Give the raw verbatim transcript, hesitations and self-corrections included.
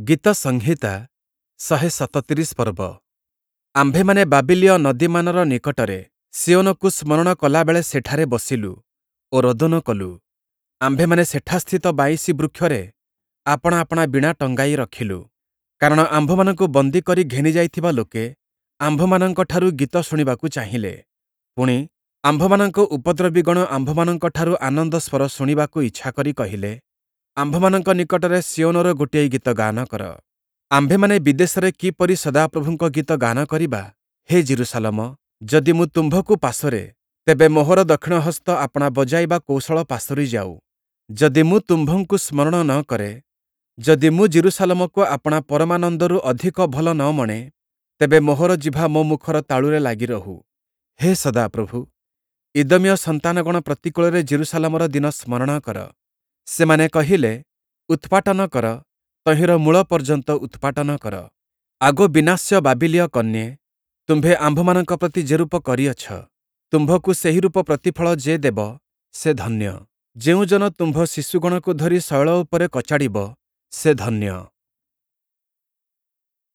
ଗୀତସଂହିତା ଶହେ ସତତିରିଶ ପର୍ବ। ଆମ୍ଭେମାନେ ବାବିଲୀୟ ନଦୀମାନର ନିକଟରେ ସିୟୋନକୁ ସ୍ମରଣ କଲାବେଳେ ସେଠାରେ ବସିଲୁ ଓ ରୋଦନ କଲୁ। ଆମ୍ଭେମାନେ ସେଠାସ୍ଥିତ ବାଇଁଶୀ ବୃକ୍ଷରେ ଆପଣା ଆପଣା ବୀଣା ଟଙ୍ଗାଇ ରଖିଲୁ। କାରଣ ଆମ୍ଭମାନଙ୍କୁ ବନ୍ଦୀ କରି ଘେନିଯାଇଥିବା ଲୋକେ ଆମ୍ଭମାନଙ୍କଠାରୁ ଗୀତ ଶୁଣିବାକୁ ଚାହିଁଲେ। ପୁଣି, ଆମ୍ଭମାନଙ୍କ ଉପଦ୍ରବୀଗଣ ଆମ୍ଭମାନଙ୍କଠାରୁ ଆନନ୍ଦ ସ୍ୱର ଶୁଣିବାକୁ ଇଚ୍ଛା କରି କହିଲେ, ଆମ୍ଭମାନଙ୍କ ନିକଟରେ ସିୟୋନର ଗୋଟିଏ ଗୀତ ଗାନ କର। ଆମ୍ଭେମାନେ ବିଦେଶରେ କିପରି ସଦାପ୍ରଭୁଙ୍କ ଗୀତ ଗାନ କରିବା? ହେ ଯିରୂଶାଲମ, ଯଦି ମୁଁ ତୁମ୍ଭକୁ ପାସୋରେ, ତେବେ ମୋହର ଦକ୍ଷିଣ ହସ୍ତ ଆପଣା ବଜାଇବା କୌଶଳ ପାସୋରି ଯାଉ। ଯଦି ମୁଁ ତୁମ୍ଭଙ୍କୁ ସ୍ମରଣ ନ କରେ, ଯଦି ମୁଁ ଯିରୂଶାଲମକୁ ଆପଣା ପରମାନନ୍ଦରୁ ଅଧିକ ଭଲ ନ ମଣେ, ତେବେ ମୋହର ଜିଭ ମୋ ମୁଖର ତାଳୁରେ ଲାଗି ରହୁ। ହେ ସଦାପ୍ରଭୁ, ଇଦୋମୀୟ ସନ୍ତାନଗଣ ପ୍ରତିକୂଳରେ ଯିରୂଶାଲମର ଦିନ ସ୍ମରଣ କର। ସେମାନେ କହିଲେ, ଉତ୍ପାଟନ କର, ତହିଁର ମୂଳ ପର୍ଯ୍ୟନ୍ତ ଉତ୍ପାଟନ କର। ଆଗୋ ବିନାଶ୍ୟ ବାବିଲୀୟ କନ୍ୟେ, ତୁମ୍ଭେ ଆମ୍ଭମାନଙ୍କ ପ୍ରତି ଯେରୂପ କରିଅଛ, ତୁମ୍ଭକୁ ସେହିରୂପ ପ୍ରତିଫଳ ଯେ ଦେବ, ସେ ଧନ୍ୟ। ଯେଉଁ ଜନ ତୁମ୍ଭ ଶିଶୁଗଣକୁ ଧରି ଶୈଳ ଉପରେ କଚାଡ଼ିବ, ସେ ଧନ୍ୟ।